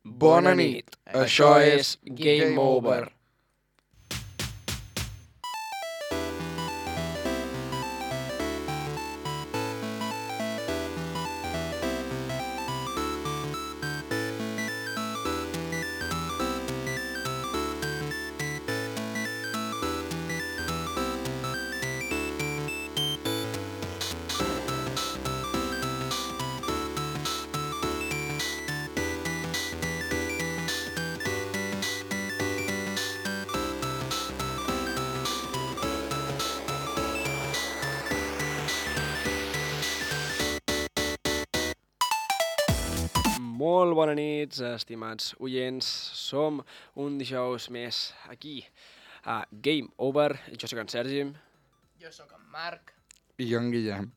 Bona nit, això és Game Over. Molt bona nit, estimats oients. Som un dijous més aquí a Game Over. Jo sóc en Sergi. Jo sóc en Marc. I jo en Guillem.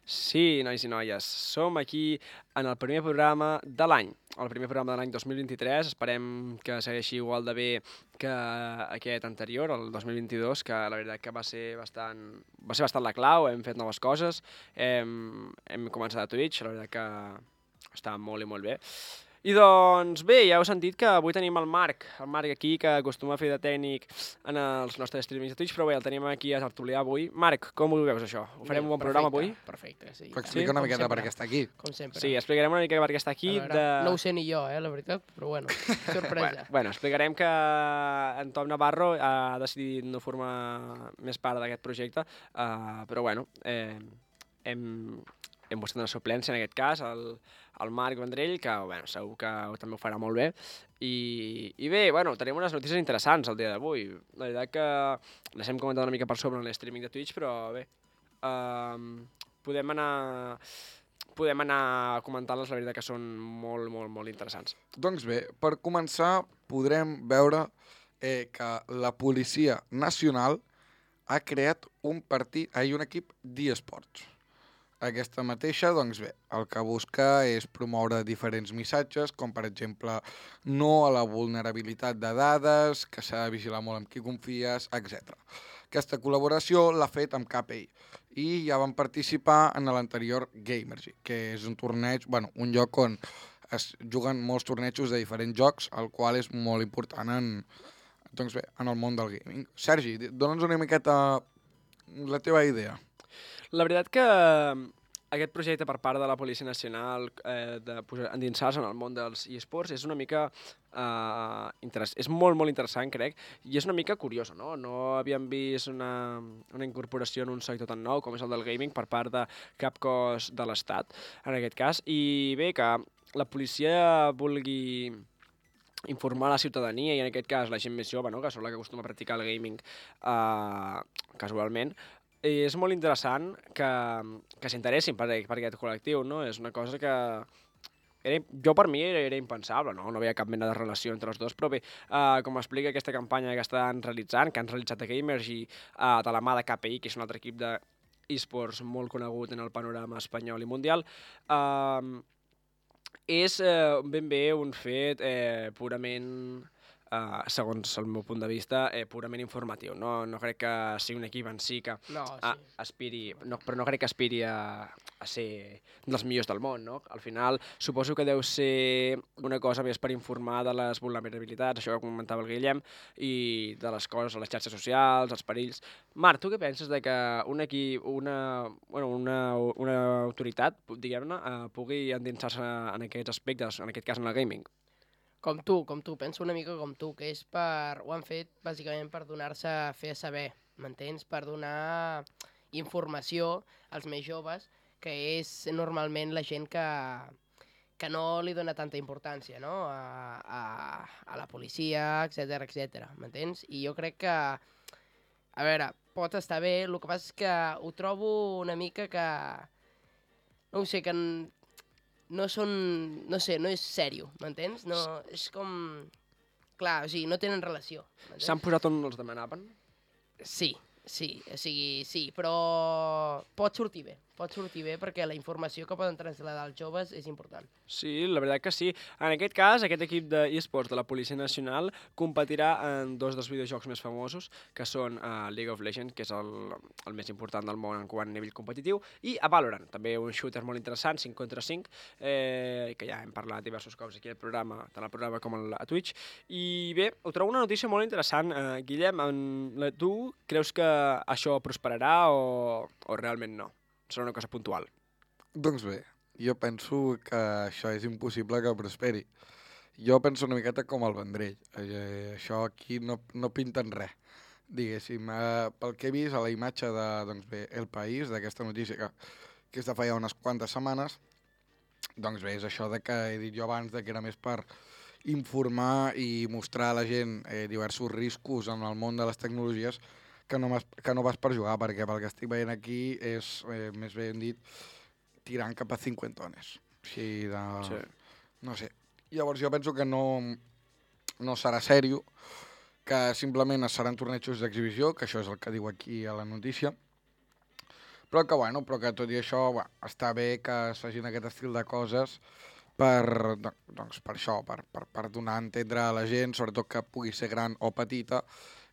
Sí, nois i noies, som aquí en el primer programa de l'any. El primer programa de l'any 2023. Esperem que segueixi igual de bé que aquest anterior, el 2022, que la veritat que va ser bastant la clau. Hem fet noves coses, hem començat a Twitch, la veritat que està molt i molt bé. I doncs bé, ja heu sentit que avui tenim el Marc aquí, que acostuma a fer de tècnic en els nostres streamings de Twitch, però bé, el tenim aquí a tertuliar avui. Marc, com ho veus això? Ho farem un bon programa avui? Perfecte, sí. Però explica una miqueta per què està aquí. Com sempre. Sí, explicarem una mica per què està aquí. No ho sé ni jo, la veritat, però bueno, sorpresa. Bueno, explicarem que en Tom Navarro ha decidit no formar més part d'aquest projecte, però bueno, hem buscat una suplència en aquest cas, el Marc Vendrell, que bueno, segur que també ho farà molt bé. I bé, bueno, tenim unes notícies interessants el dia d'avui. La veritat que les hem comentat una mica per sobre en l'streaming de Twitch, però bé, podem anar comentant-les, la veritat que són molt, molt, molt interessants. Doncs bé, per començar podrem veure que la Policia Nacional ha creat un equip d'eSports. Aquesta mateixa, doncs bé, el que busca és promoure diferents missatges, com per exemple no a la vulnerabilitat de dades, que s'ha de vigilar molt amb qui confies, etc. Aquesta col·laboració l'ha fet amb KPI i ja van participar en l'anterior Gamergy, que és un torneig, bueno, un lloc on es juguen molts tornejos de diferents jocs, el qual és molt important doncs bé, en el món del gaming. Sergi, dona'ns una miqueta la teva idea. La veritat que aquest projecte per part de la Policia Nacional endinsar-se en el món dels eSports és una mica és molt, molt interessant, crec, i és una mica curiosa, no? No havíem vist una incorporació en un sector tan nou com és el del gaming per part de cap cos de l'Estat, en aquest cas, i bé, que la policia vulgui informar la ciutadania, i en aquest cas la gent més jove, no? Que és la que acostuma a practicar el gaming casualment. És molt interessant que s'interessin per aquest col·lectiu, no? És una cosa que jo per mi era impensable, no veia cap mena de relació entre els dos, però bé, com explica aquesta campanya que estan realitzant, que han realitzat a Gamergy de la mà de KPI, que és un altre equip d'eSports molt conegut en el panorama espanyol i mundial, és ben bé un fet purament, segons el meu punt de vista, purament informatiu. No crec que sigui un equip en si que aspiri, però no crec que aspiri a ser dels millors del món, no? Al final, suposo que deu ser una cosa més per informar de les vulnerabilitats, això que comentava el Guillem, i de les coses a les xarxes socials, els perills. Marc, tu què penses de que un equip, una autoritat, diguem-ne, pugui endinsar-se en aquests aspectes, en aquest cas en el gaming? Com tu, penso una mica com tu, que ho han fet bàsicament per donar-se a fer saber, m'entens? Per donar informació als més joves, que és normalment la gent que no li dona tanta importància, no? A la policia, etc, m'entens? I jo crec que, a veure, pot estar bé, el que passa és que ho trobo una mica que, no ho sé, que no és sèrio, m'entens? No, és com... Clar, o sigui, no tenen relació. S'han posat on els demanaven? Sí, o sigui, sí, però pot sortir bé. pot sortir bé perquè la informació que poden traslladar als joves és important. Sí, la veritat que sí. En aquest cas, aquest equip d'eSports de la Policia Nacional competirà en dos dels videojocs més famosos, que són League of Legends, que és el més important del món en quant a nivell competitiu, i a Valorant, també un shooter molt interessant, 5 contra 5, que ja hem parlat diversos cops aquí al programa, tant al programa com a Twitch. I bé, ho trobo una notícia molt interessant. Guillem, tu creus que això prosperarà o realment no? Serà una cosa puntual. Doncs bé, jo penso que això és impossible que prosperi. Jo penso una miqueta com el Vendrell. Això aquí no pinten res, diguéssim. Pel que he vist a la imatge de, doncs bé, El País, d'aquesta notícia que és de fa ja unes quantes setmanes, doncs bé, és això de que he dit jo abans de que era més per informar i mostrar a la gent diversos riscos en el món de les tecnologies que no vas per jugar, perquè pel que estic veient aquí és, més ben dit, tirant cap a 50 Així de... Sí. No sé. Llavors jo penso que no serà sèrio, que simplement seran tornejos d'exhibició, que això és el que diu aquí a la notícia, però que tot i això està bé que es facin aquest estil de coses per això, per donar a entendre a la gent, sobretot que pugui ser gran o petita,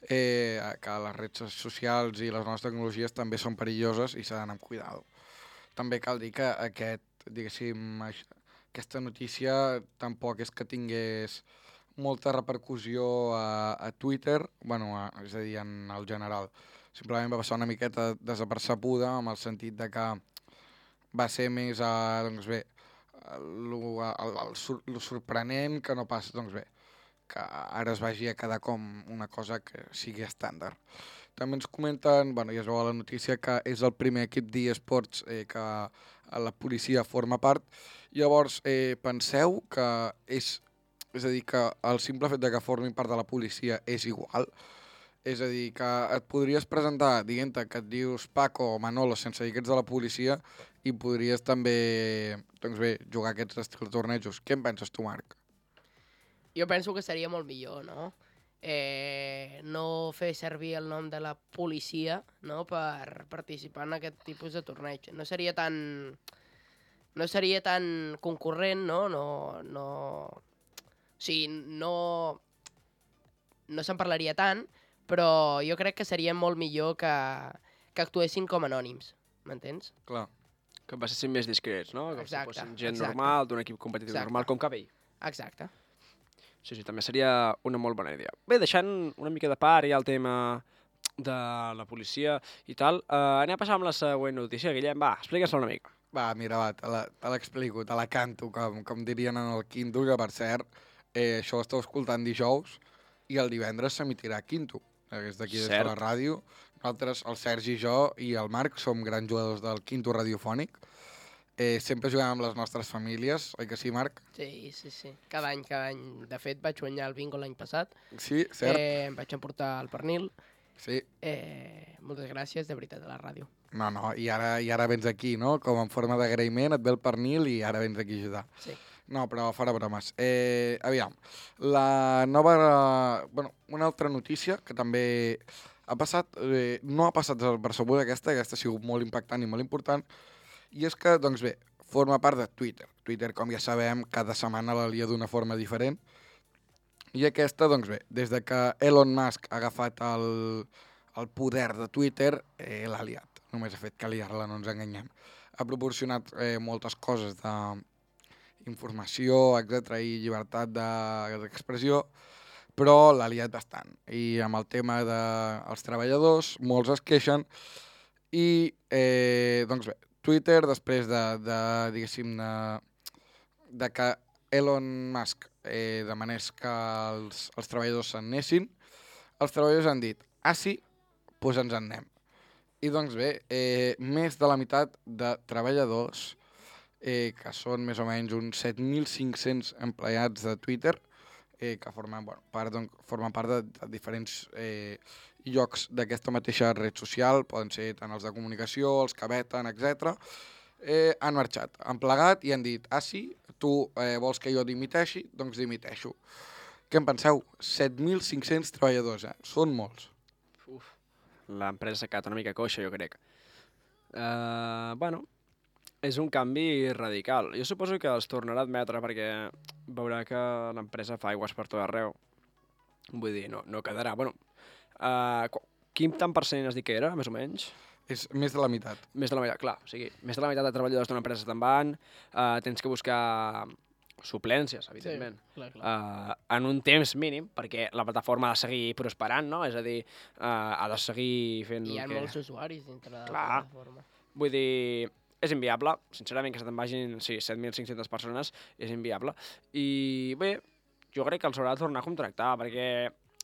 que les redes socials i les noves tecnologies també són perilloses i s'ha d'anar amb cuidado. També cal dir que aquesta notícia tampoc és que tingués molta repercussió a Twitter, és a dir, en el general. Simplement va passar una miqueta desapercebuda, amb el sentit de que va ser més, el sorprenent que no pas, que ara es vagi a quedar com una cosa que sigui estàndard. També ens comenten, ja es veu a la notícia, que és el primer equip d'eSports que la policia forma part. Llavors, penseu que és a dir, que el simple fet de que formin part de la policia és igual? És a dir, que et podries presentar dient-te que et dius Paco o Manolo sense dir que ets de la policia i podries també, jugar aquests estils de tornejos. Què en penses tu, Marc? Jo penso que seria molt millor, no? No fer servir el nom de la policia, no?, per participar en aquest tipus de torneig. No seria tan concurrent, no? O sigui, no se'n parlaria tant, però jo crec que seria molt millor que actuessin com anònims, m'entens? Clar. Que passessin més discrets, no? Que fossin gent exacte. normal, d'un equip competitiu normal, com Cabell. Exacte. Sí, també seria una molt bona idea. Bé, deixant una mica de part ja el tema de la policia i tal, anem a passar amb la següent notícia. Guillem, explica'ns-la una mica. Mira, te l'explico, te la canto, com dirien en el quinto, que per cert, això ho esteu escoltant dijous i el divendres s'emitirà quinto. Des d'aquí, des de la ràdio. Nosaltres, el Sergi, jo i el Marc, som grans jugadors del quinto radiofònic. Sempre juguem amb les nostres famílies, oi que sí, Marc? Sí. Cada any. De fet, vaig guanyar el bingo l'any passat. Sí, cert. Em vaig emportar el pernil. Sí. Moltes gràcies, de veritat, a la ràdio. No, i ara vens aquí, no? Com en forma d'agraïment, et ve el pernil i ara vens aquí a ajudar. Sí. No, però fora bromes. Aviam, la nova... una altra notícia que també ha passat, no ha passat desapercebuda aquesta ha sigut molt impactant i molt important, i és que, forma part de Twitter. Twitter, com ja sabem, cada setmana la lia d'una forma diferent, i aquesta, des de que Elon Musk ha agafat el poder de Twitter, l'ha liat. Només ha fet que liar-la, no ens enganyem. Ha proporcionat moltes coses d'informació, etc i llibertat d'expressió, però l'ha liat bastant. I amb el tema dels treballadors, molts es queixen, i Twitter, després de que Elon Musk demanés que els treballadors se'n anessin, els treballadors han dit, sí, doncs ens en anem. I més de la meitat de treballadors, que són més o menys uns 7.500 empleats de Twitter, que formen part de diferents llocs d'aquesta mateixa red social, poden ser tant els de comunicació, els que veten, etc. Han marxat, han plegat i han dit, sí, tu vols que jo dimiteixi? Doncs dimiteixo. Què en penseu? 7.500 treballadors, són molts. L'empresa s'ha quedat una mica coixa, jo crec. És un canvi radical. Jo suposo que els tornarà a admetre perquè veurà que l'empresa fa aigües per tot arreu. Vull dir, no quedarà. Bueno, quin tant per cent has dit que era, més o menys? És més de la meitat. Més de la meitat, clar. O sigui, més de la meitat de treballadors d'una empresa te'n van, tens que buscar suplències, evidentment. Sí, clar. En un temps mínim, perquè la plataforma ha de seguir prosperant, no? És a dir, ha de seguir fent... I hi ha molts usuaris dintre de la plataforma. Vull dir, és inviable. Sincerament, que se te'n vagin 7.500 persones és inviable. I bé, jo crec que els haurà de tornar a contractar, perquè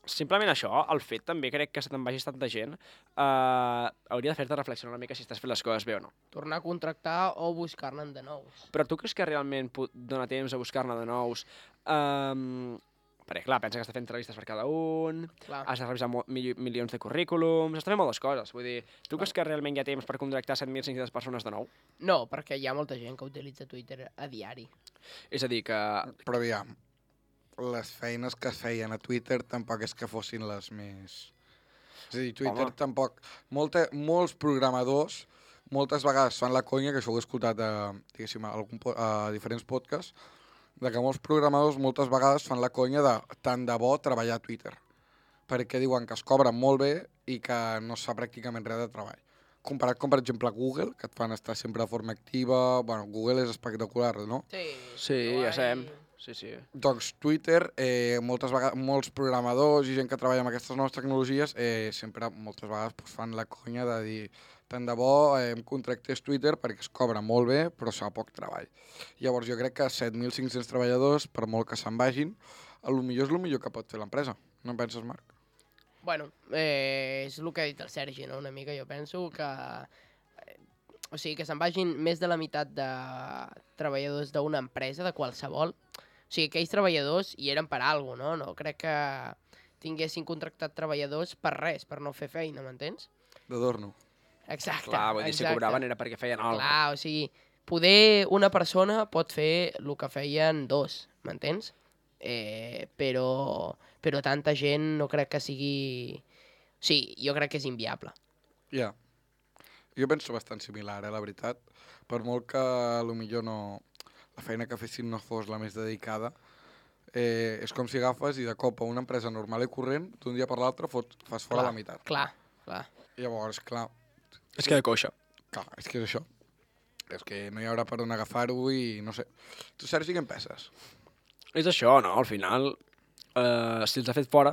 simplement això, el fet també crec que se te'n vagi tanta gent, hauria de fer-te reflexionar una mica si estàs fent les coses bé o no. Tornar a contractar o buscar-ne de nous. Però tu creus que realment dona temps a buscar-ne de nous? Perquè, clar, pensa que està fent entrevistes per cada un, has de revisar milions de currículums, està fent moltes coses. Vull dir, tu creus que realment hi ha temps per contractar 7.500 persones de nou? No, perquè hi ha molta gent que utilitza Twitter a diari. És a dir, que... Però aviam, les feines que es feien a Twitter tampoc és que fossin les més... És a dir, Twitter tampoc... Molts programadors moltes vegades fan la conya, que això ho he escoltat a diferents podcasts, de que molts programadors moltes vegades fan la conya de tant de bo treballar a Twitter, perquè diuen que es cobren molt bé i que no es fa pràcticament res de treball. Comparat com, per exemple, Google, que et fan estar sempre de forma activa... Bueno, Google és espectacular, no? Sí, ja sabem. Sí. Doncs Twitter, molts programadors i gent que treballa amb aquestes noves tecnologies sempre moltes vegades fan la conya de dir tant de bo em contractés Twitter perquè es cobra molt bé però es fa poc treball. Llavors jo crec que 7.500 treballadors, per molt que se'n vagin, potser és el millor que pot fer l'empresa. No en penses, Marc? Bueno, és el que ha dit el Sergi, no? Una mica jo penso que... O sigui, que se'n vagin més de la meitat de treballadors d'una empresa, de qualsevol. O sigui, aquells treballadors hi eren per alguna cosa, no? No crec que tinguessin contractat treballadors per res, per no fer feina, m'entens? D'adorno. Exacte. Clar, vull dir, si cobraven era perquè feien alguna cosa. Clar, o sigui, poder una persona pot fer el que feien dos, m'entens? Però tanta gent no crec que sigui... O sigui, jo crec que és inviable. Ja. Jo penso bastant similar, la veritat. Per molt que potser no... la feina que fessin no fos la més dedicada, és com si agafes i de cop a una empresa normal i corrent, d'un dia per l'altre fas fora la meitat. Clar. Llavors, clar... És que de coixa. Clar, és que és això. És que no hi haurà per on agafar-ho i no sé. Tu, Sergi, què en penses? És això, no? Al final, si els ha fet fora...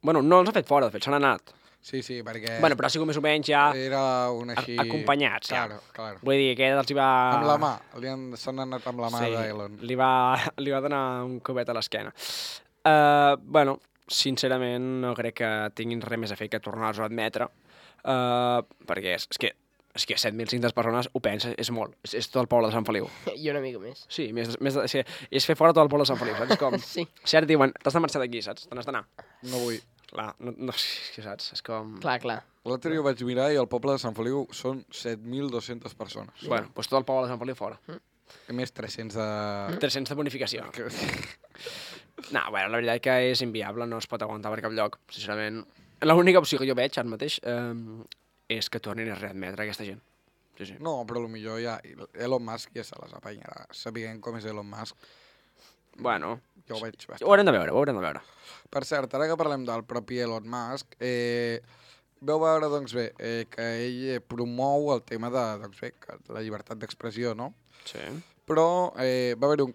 Bueno, no els ha fet fora, de fet, s'han anat. Sí, perquè... Bueno, però ha sigut més o menys ja... Era un així... Acompanyats, ja. Claro. Vull dir, que els hi va... Amb la mà. S'han anat amb la mà d'Elon. Li va donar un copet a l'esquena. Bueno, sincerament, no crec que tinguin res més a fer que tornar-los a admetre, perquè és que 7.500 persones ho pensa, és molt. És tot el poble de Sant Feliu. I una mica més. Sí, és fer fora tot el poble de Sant Feliu, saps? Com, sí. Cert, diuen, t'has de marxar d'aquí, saps? Te n'has d'anar. No vull. Clar, no, saps? És com... Clar. L'altre dia ho vaig mirar i el poble de Sant Feliu són 7.200 persones. Bueno, doncs tot el poble de Sant Feliu fora. A més, 300 de... 300 de bonificació. No, bueno, la veritat que és inviable, no es pot aguantar per cap lloc, sincerament. L'única opció que jo veig ara mateix és que tornin a readmetre aquesta gent. Sí. No, però potser ja... Elon Musk ja se les apanyarà. Sabent com és Elon Musk... Bueno, jo ho veig bastant. Ho haurem de veure. Per cert, ara que parlem del propi Elon Musk, veu veure, doncs bé, que ell promou el tema de la llibertat d'expressió, no? Sí. Però va haver-hi un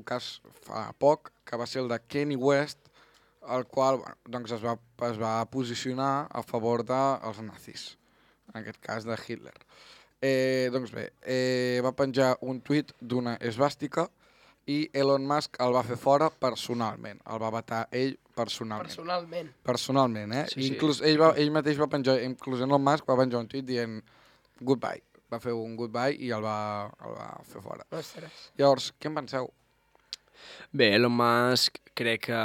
cas fa poc, que va ser el de Kanye West, el qual doncs es va posicionar a favor dels nazis, en aquest cas de Hitler. Doncs bé, va penjar un tuit d'una esvàstica i Elon Musk el va fer fora personalment, el va vetar ell personalment. Personalment, Sí. Inclús ell mateix va penjar, inclús Elon Musk va penjar un tuit dient goodbye, va fer un goodbye i el va fer fora. Ostres. Llavors, què en penseu? Bé, Elon Musk crec que...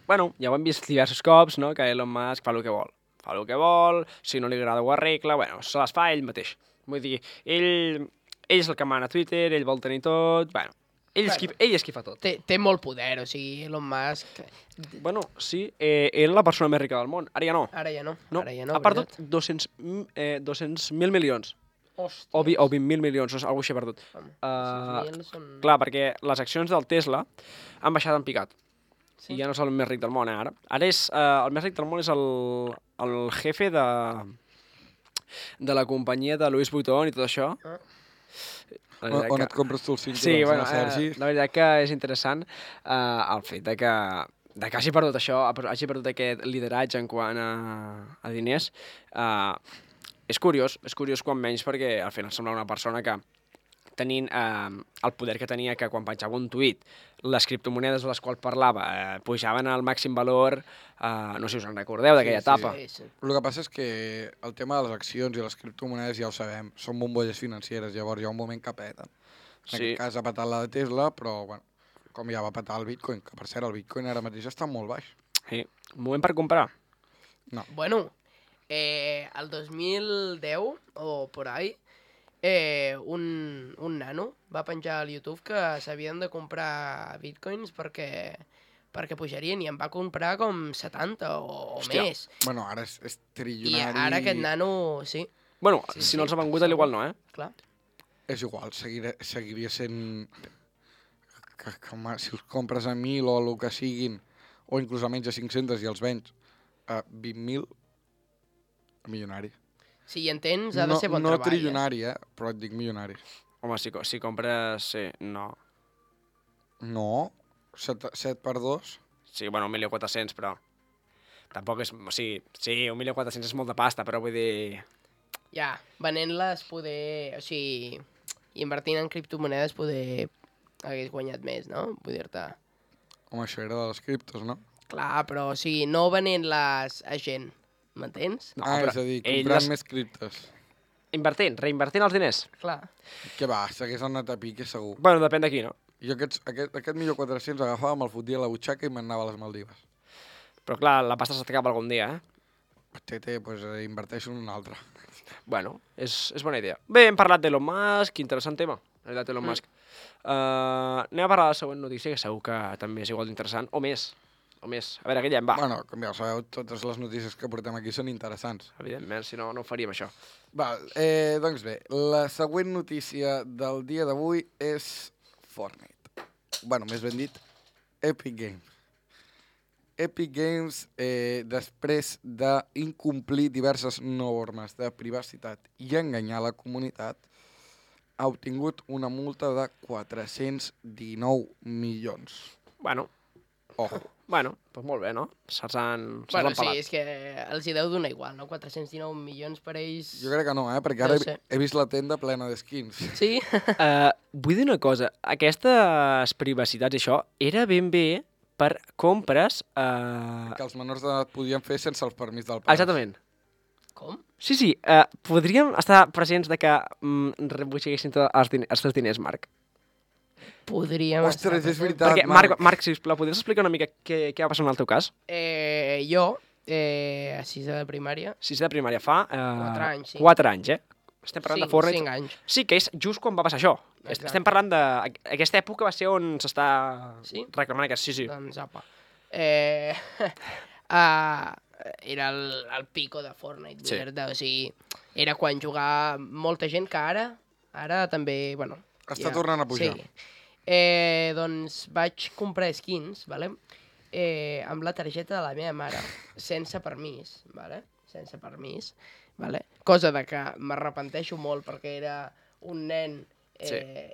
Bueno, ja ho hem vist diversos cops, no?, que Elon Musk fa el que vol. Fa el que vol, si no li agrada ho arregla, bueno, se les fa ell mateix. Vull dir, ell és el que mana a Twitter, ell vol tenir tot, bueno, ell és qui fa tot. Té molt poder, o sigui, Elon Musk... Bueno, sí, era la persona més rica del món, ara ja no. Ara ja no. Ha perdut 200.000 milions. o 20.000 milions, o alguna cosa així he perdut. 6.000 són... Clar, perquè les accions del Tesla han baixat en picat. Sí? I ja no és el més ric del món, ara. Ara és, el més ric del món és el jefe de la companyia de Louis Vuitton i tot això. On et compres tu els cinturons, sí, bueno, Sergi? la veritat que és interessant el fet de que hagi perdut això, hagi perdut aquest lideratge en quant a diners. És curiós quan menys, perquè al final sembla una persona que tenint el poder que tenia, que quan penjava un tuit, les criptomonedes de les quals parlava pujaven al màxim valor, no sé si us en recordeu d'aquella etapa. Sí. El que passa és que el tema de les accions i les criptomonedes ja ho sabem, són bombolles financeres, llavors hi ha un moment que peten. En aquest cas ha petat la de Tesla, però bueno, com ja va petar el Bitcoin, que per cert el Bitcoin ara mateix està molt baix. Sí, moment per comprar. No. Bueno, el 2010 o por ahí, un nano va penjar al YouTube que s'havien de comprar bitcoins perquè pujarien, i en va comprar com 70 o més. Bueno, ara és trilionari. I ara aquest nano, sí. Bueno, si no els ha vengut, igual no, Clar. És igual, seguiria sent... si els compres a 1.000 o el que siguin, o inclús a menys de 500 i els vens a 20.000, milionari. Si hi entens, ha de ser bon treball. No trilionari, però et dic milionari. Home, si compres... Sí, no. No, 7 per 2. Sí, bueno, 1.400.000, però... Tampoc és... O sigui, sí, 1.400.000 és molt de pasta, però vull dir... Ja, venent-les poder... O sigui, invertint en criptomonedes poder hagués guanyat més, no? Vull dir-te... Home, això era de les criptos, no? Clar, però o sigui, no venent-les a gent, m'entens? No, és a dir, comprant més criptos. Reinvertint els diners. Clar. Què va, s'hagués anat a pique segur. Bueno, depèn de qui, no? Jo aquest 1.400.000 agafava, me'l fotia a la butxaca i me'n anava a les Maldives. Però clar, la pasta s'acaba algun dia, Doncs inverteixo en un altre. Bueno, és bona idea. Bé, hem parlat d'Elon Musk, interessant tema, la veritat, Elon Musk. Anem a parlar de la següent notícia, que segur que també és igual d'interessant, o més. A veure, Guillem, va. Bueno, com ja ho sabeu, totes les notícies que portem aquí són interessants. Evidentment, si no, no ho faríem, això. Doncs bé, la següent notícia del dia d'avui és Fortnite. Bueno, més ben dit, Epic Games. Epic Games, després d'incomplir diverses normes de privacitat i enganyar la comunitat, ha obtingut una multa de 419 milions. Bueno. Ojo. Bueno, doncs molt bé, no? Se'ls han Bueno, pelat. sí, és que els hi deu donar igual, no? 419 milions per ells... Jo crec que no, perquè ara he vist la tenda plena d'skins. Sí? Vull dir una cosa, aquestes privacitats i això era ben bé per compres... Que els menors d'edat podien fer sense el permís del pare. Exactament. Com? Sí, podríem estar presents de que rebutxeguessin els teus diners, Marc. Podríem Ostres, és veritat, perquè, Marc, sisplau, podries explicar una mica què va passar en el teu cas? Jo, a sisè de primària... Sisè de primària fa... 4 anys, sí. 4 anys, Estem parlant de Fortnite. 5 anys. Sí, que és just quan va passar això. Exacte. Estem parlant de... Aquesta època va ser on s'està reclamant aquest... Sí. Doncs apa. Era el pico de Fortnite, Sí. o sigui, era quan jugava molta gent que ara també, bueno... Està tornant a pujar. Sí. Doncs vaig comprar skins, vale? Amb la targeta de la meva mare, sense permís, vale? Sense permís, vale? Cosa de que m'arrepenteixo molt perquè era un nen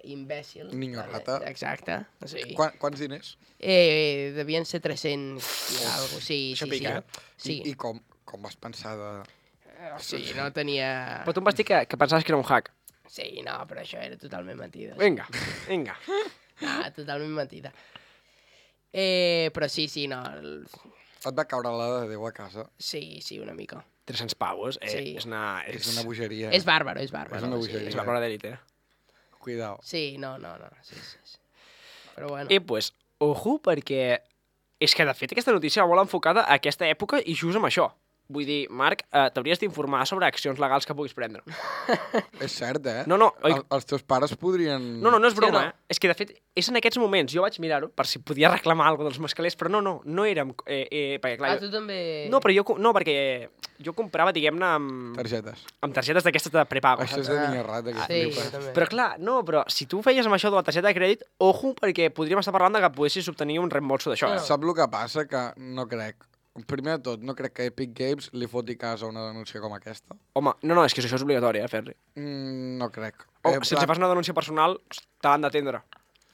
imbècil. Niño vale? rata. Exacte. O sigui, Quants diners? devien ser 300 i alguna cosa. Sí, Això sí, pica, sí. I com vas pensar de... Sí, no tenia... Però tu em vas dir que pensaves que era un hack. Sí, no, però això era totalment mentida. Vinga. Ah, totalment mentida. Però sí, no... Et va caure la de Déu a casa? Sí, una mica. 300 pavos, Sí. És una bogeria. És bàrbaro. És una bogeria. És bàrbaro d'élite. Cuidao. Sí, no. Sí. Però bueno. I pues, ojo, perquè és que de fet aquesta notícia va molt enfocada a aquesta època i just amb això. Vull dir, Marc, t'hauries d'informar sobre accions legals que puguis prendre. És cert, eh? No, Els teus pares podrien... No és broma, És que, de fet, és en aquests moments. Jo vaig mirar-ho per si podia reclamar alguna cosa dels mascalers, però no érem... perquè, clar, tu també... No, perquè jo comprava, diguem-ne, amb targetes d'aquestes de prepago. Això és de niñerrat, Sí, jo també. Però clar, però si tu feies amb això de la targeta de crèdit, ojo, perquè podríem estar parlant de que poguessis obtenir un reembolso d'això. Saps el que passa? Que no crec. Primer de tot, no crec que Epic Games li foti cas a una denúncia com aquesta. Home, no, és que això és obligatori, fer-li. No crec. Si els fas una denúncia personal, te l'han d'atendre.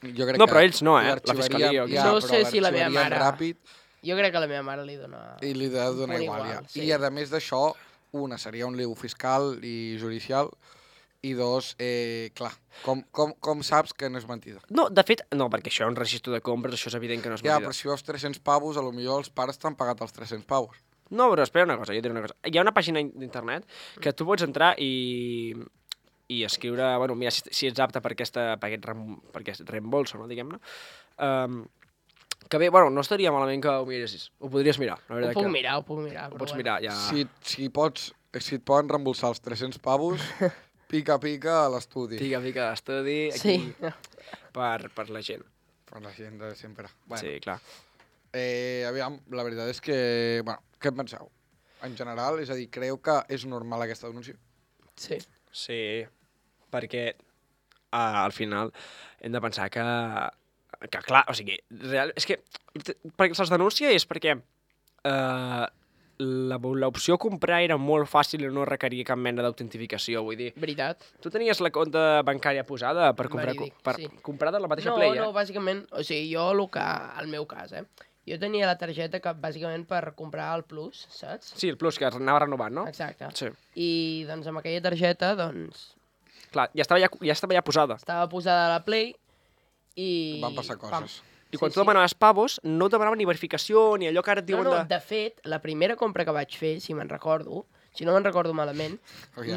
Jo crec no, però ells no, la fiscalia. No sé si la meva mare... Ràpid, jo crec que la meva mare li dona... I li ha de donar igual, ja. Sí. I a més d'això, una seria un lío fiscal i judicial, i dos, clar, com saps que no és mentida? No, de fet, no, perquè això és un registre de compres, això és evident que no és mentida. Ja, però si veus 300 pavos, potser els pares t'han pagat els 300 pavos. No, però espera una cosa, jo diré una cosa. Hi ha una pàgina d'internet que tu pots entrar i escriure, bueno, mira si ets apte per aquest reembolso, no, diguem-ne. Que bé, bueno, no estaria malament que ho miressis. Ho podries mirar. Ho puc mirar. Ho pots mirar, ja... Si et poden reembolsar els 300 pavos, pica a l'estudi. Pica a l'estudi, aquí, per la gent. Per la gent de sempre. Bueno. Sí, clar. Aviam, la veritat és que... Bueno, què en penseu? En general, és a dir, creu que és normal aquesta denúncia? Sí. Sí, perquè al final hem de pensar que clar, o sigui, és que perquè se'ls denuncia és perquè l'opció comprar era molt fàcil i no requeria cap mena d'autentificació, vull dir... Veritat. Tu tenies la compta bancària posada per comprar de la mateixa Play, No, bàsicament, o sigui, jo el meu cas, jo tenia la targeta que bàsicament per comprar el Plus, saps? Sí, el Plus, que anava renovant, no? Exacte. Sí. I doncs amb aquella targeta, doncs... Clar, ja estava ja posada. Estava posada a la Play i... Van passar coses. I quan tu demanaves pavos, no et demanaven ni verificació, ni allò que ara et diuen de... No, de fet, la primera compra que vaig fer, si no me'n recordo malament,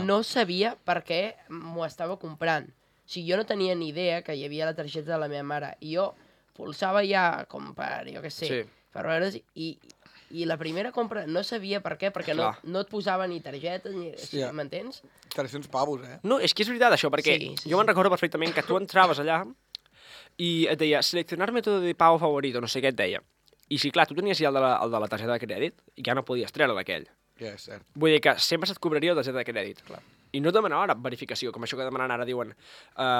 no sabia per què m'ho estava comprant. O sigui, jo no tenia ni idea que hi havia la targeta de la meva mare. I jo pulsava ja com per, jo què sé, per veure's, i la primera compra no sabia per què, perquè no et posava ni targetes, ni... M'entens? 300 pavos, No, és que és veritat això, perquè jo me'n recordo perfectament que tu entraves allà i et deia, seleccionar método de pago favorito, no sé què et deia. I si, clar, tu tenies ja el de la targeta de crèdit, ja no podies treure d'aquell. Ja, és cert. Vull dir que sempre se't cobraria la targeta de crèdit. Clar. I no et demanaven ara verificació, com això que demanen ara, diuen,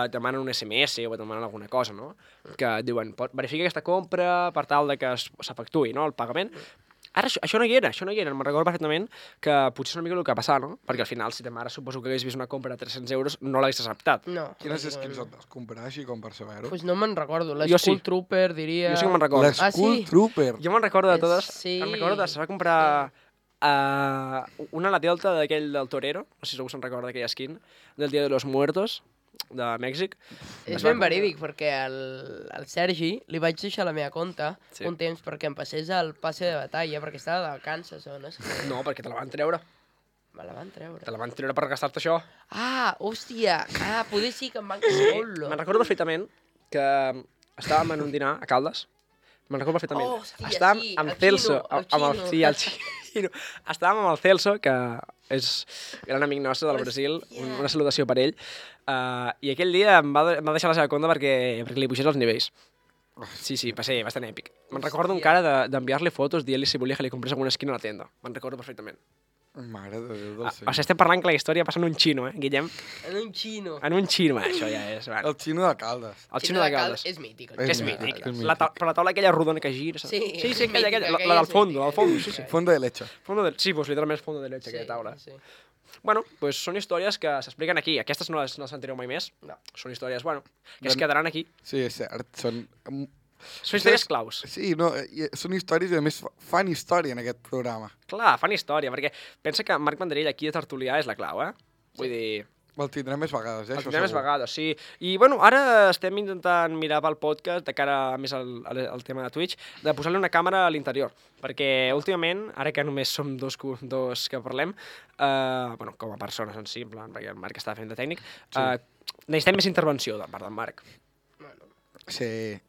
demanen un SMS o et demanen alguna cosa, no? Que diuen, verifica aquesta compra per tal de que s'efectuï, no?, el pagament. Ara això no hi era, me'n recordo perfectament que potser és una mica el que va passar, no? Perquè al final, si ta mare suposo que hagués vist una compra de 300 euros, no l'hagués acceptat. No. Quines skins et vas comprar així com per saber-ho? Pues no me'n recordo, l'Skull Trooper diria... Jo sí que me'n recordo. L'Skull Trooper? Jo me'n recordo de totes. Sí. Me'n recordo se va comprar una a la Delta d'aquell del Torero, no sé si algú se'n recorda d'aquella skin, del Dia de los Muertos, de Mèxic. És ben verídic, perquè al Sergi li vaig deixar la meva compte un temps perquè em passés el passe de batalla, perquè estava de vacances o no sé. No, perquè te la van treure. Me la van treure. Te la van treure per gastar-te això. Ah, hòstia! Ah, poder sí que em van casar. Me'n recordo perfectament que estàvem en un dinar a Caldes. Me'n recordo perfectament. Hòstia, estàvem amb Celso, el Xino. Sí, el Xino. Estàvem amb el Celso, que és gran amic nostre del Brasil, una salutació per ell, i aquell dia em va deixar la seva compte perquè li pugés els nivells. Sí, va ser bastant èpic. Me'n recordo encara d'enviar-li fotos dient-li si volia que li comprés alguna esquina a la tenda. Me'n recordo perfectament. Mare de Déu del Senyor. O sigui, estem parlant que la història passa en un xino, Guillem? En un xino. En un xino, això ja és... Bueno. El xino de Caldes. El xino de Caldes. És mític. És mític. Per la taula aquella rodona que gira. Sí, aquella, la del fondo, sí. Fondo de leche. Sí, pues literalment és fondo de leche, aquella taula. Bueno, pues són històries que s'expliquen aquí. Aquestes no les sentireu mai més. No. Són històries, bueno, que es quedaran aquí. Sí, és cert. Són històries claus. Sí, no, són històries i a més fan història en aquest programa. Clar, fan història, perquè pensa que Marc Vendrell aquí a Tertulià és la clau, Vull dir... El tindrem més vegades, El tindrem més vegades, sí. I, bueno, ara estem intentant mirar pel podcast, de cara a més al tema de Twitch, de posar-li una càmera a l'interior, perquè últimament, ara que només som dos que parlem, bueno, com a persones en si, en plan, perquè el Marc està fent de tècnic, necessitem més intervenció de part del Marc. Sí.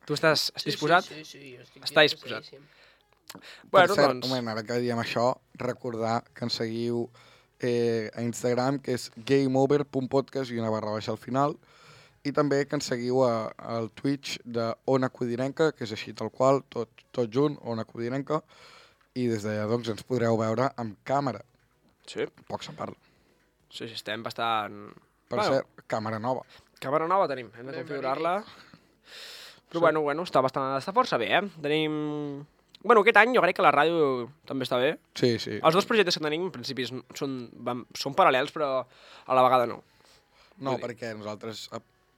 Tu estàs disposat? Sí, jo estic Està disposat. Per cert, ara que diem això, recordar que ens seguiu a Instagram, que és gameover.podcast i una / al final, i també que ens seguiu al Twitch de Ona Codinenca, que és així tal qual, tot junt, Ona Codinenca, i des d'allà doncs ens podreu veure amb càmera. Sí. Poc se'n parla. Sí, estem bastant... Per cert, càmera nova. Càmera nova tenim, hem de configurar-la. Però bueno, està força bé, Tenim... Bueno, aquest any jo crec que la ràdio també està bé. Sí. Els dos projectes que tenim, en principi, són paral·lels, però a la vegada no. No, perquè nosaltres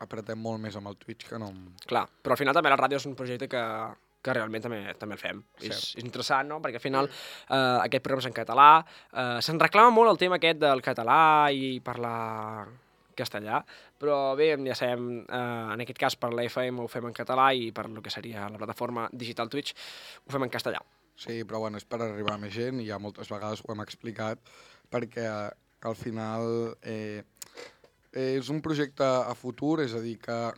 apretem molt més amb el Twitch que no... Clar, però al final també la ràdio és un projecte que realment també el fem. És interessant, no? Perquè al final aquest programa és en català. Se'n reclama molt el tema aquest del català i parlar castellà, però bé, ja sabem, en aquest cas per la FM ho fem en català i per lo que seria la plataforma digital Twitch ho fem en castellà. Sí, però bueno, és per arribar a més gent i ja moltes vegades ho hem explicat perquè al final és un projecte a futur, és a dir, que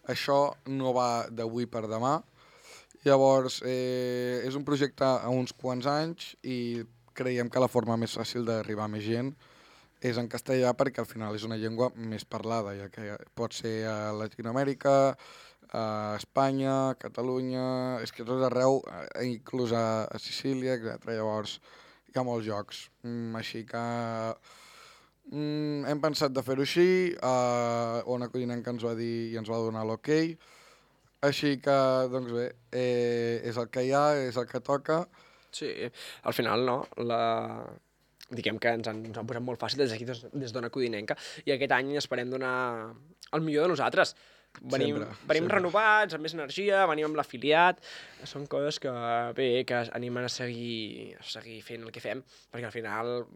això no va d'avui per demà. Llavors, és un projecte a uns quants anys i creiem que la forma més fàcil d'arribar a més gent és en castellà perquè al final és una llengua més parlada, ja que pot ser a Llatinoamèrica, a Espanya, a Catalunya, és que tot arreu, inclús a Sicília, etc. Llavors hi ha molts jocs. Així que hem pensat de fer-ho així, Ona Codinenca ens va dir i ens va donar l'ok, així que, doncs bé, és el que hi ha, és el que toca. Sí, al final, no, diguem que ens han posat molt fàcil des d'aquí, des d'Ona Codinenca, i aquest any esperem donar el millor de nosaltres. Venim renovats, amb més energia, venim amb l'afiliat, són coses que, bé, que animen a seguir fent el que fem, perquè al final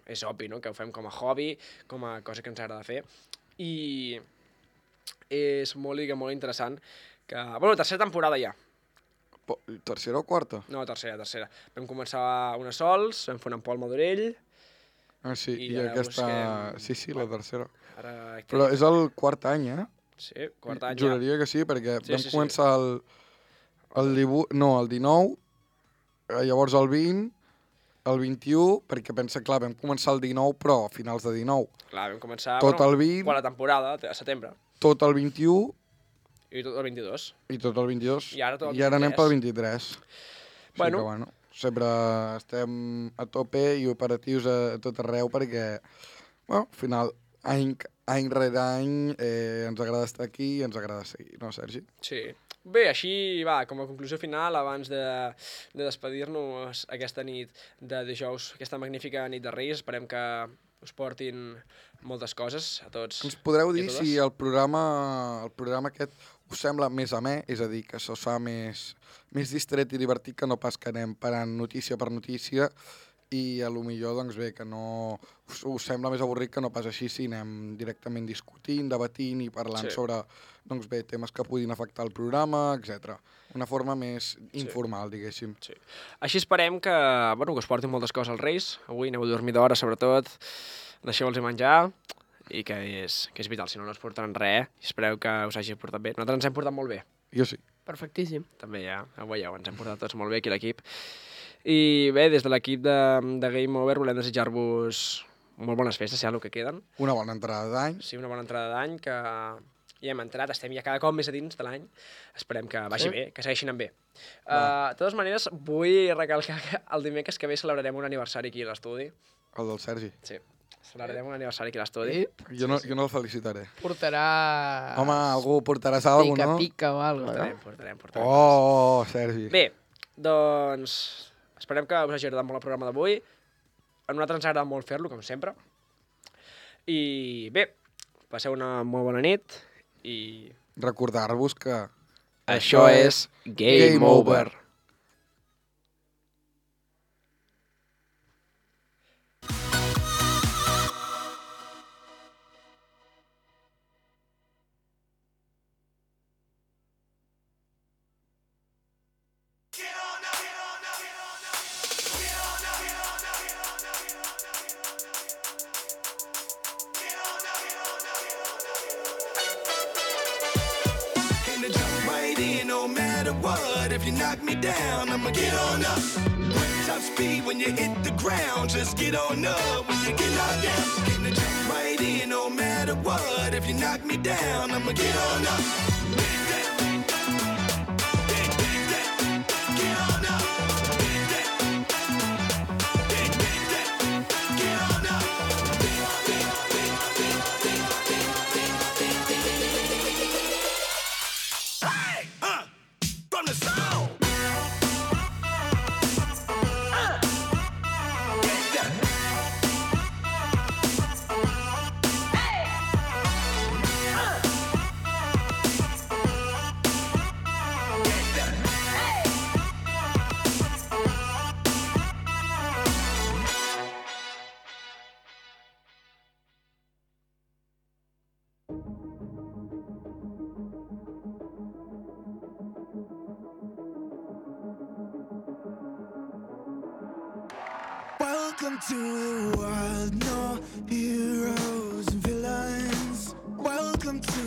és obvi, no?, que ho fem com a hobby, com a cosa que ens agrada fer, i és molt interessant que... Bueno, tercera temporada ja. Tercera o quarta? No, tercera. Vam començar una sols, vam fer un Pol Madurell... Ah, sí, i aquesta... Busquem... Sí, la tercera. Ara... Però és el quart any, Sí, quart any Juraria que sí, perquè vam començar el 19, llavors el 20, el 21, perquè pensa, clar, vam començar el 19, però a finals de 19. Clar, vam començar... Tot el 20... Quan la temporada, a setembre. Tot el 21... I tot el 22. I tot el 22. I ara anem pel 23. Bueno. Que, sempre estem a tope i operatius a tot arreu perquè, al final, any rere any, ens agrada estar aquí i ens agrada seguir, no, Sergi? Sí. Bé, així va, com a conclusió final, abans de despedir-nos aquesta nit de dijous, aquesta magnífica nit de Reis, esperem que us portin moltes coses a tots. Ens podreu dir si el programa aquest us sembla més amè, és a dir, que se us fa més distret i divertit que no pas que anem parant notícia per notícia i a lo millor, doncs bé, que no us sembla més avorrit que no pas així si anem directament discutint, debatint i parlant sobre, doncs bé, temes que puguin afectar el programa, etc. Una forma més informal, diguéssim. Sí. Així esperem que us portin moltes coses als Reis. Avui aneu a dormir d'hora, sobretot. Deixeu-los menjar i que és vital, si no es portaran res. Espereu que us hagi portat bé. Nosaltres ens hem portat molt bé. Jo sí. Perfectíssim. També ja, ho veieu, ens hem portat tots molt bé aquí l'equip. I bé, des de l'equip de Game Over volem desitjar-vos molt bones festes, ja el que queden. Una bona entrada d'any. Sí, una bona entrada d'any, que ja hem entrat, estem ja cada cop més a dins de l'any. Esperem que vagi bé, que segueixin amb bé. De totes maneres, vull recalcar que el dimecres que ve celebrarem un aniversari aquí a l'estudi. El del Sergi. Sí. Celebrarem un aniversari aquí a l'estudi. Jo no el felicitaré. Portarà... Home, algú portaràs alguna cosa, no? Pica o alguna cosa, Portarem. Oh, Sergi. Bé, doncs esperem que us hagi agradat molt el programa d'avui. A nosaltres ens ha agradat molt fer-lo, com sempre. I bé, passeu una molt bona nit i... Recordar-vos que... Això és Game Over. if you knock me down, I'ma get on up. Top speed when you hit the ground, just get on up. When you get knocked down, gonna jump right in no matter what. If you knock me down, I'ma get on up. Welcome to the world, no heroes and villains. Welcome to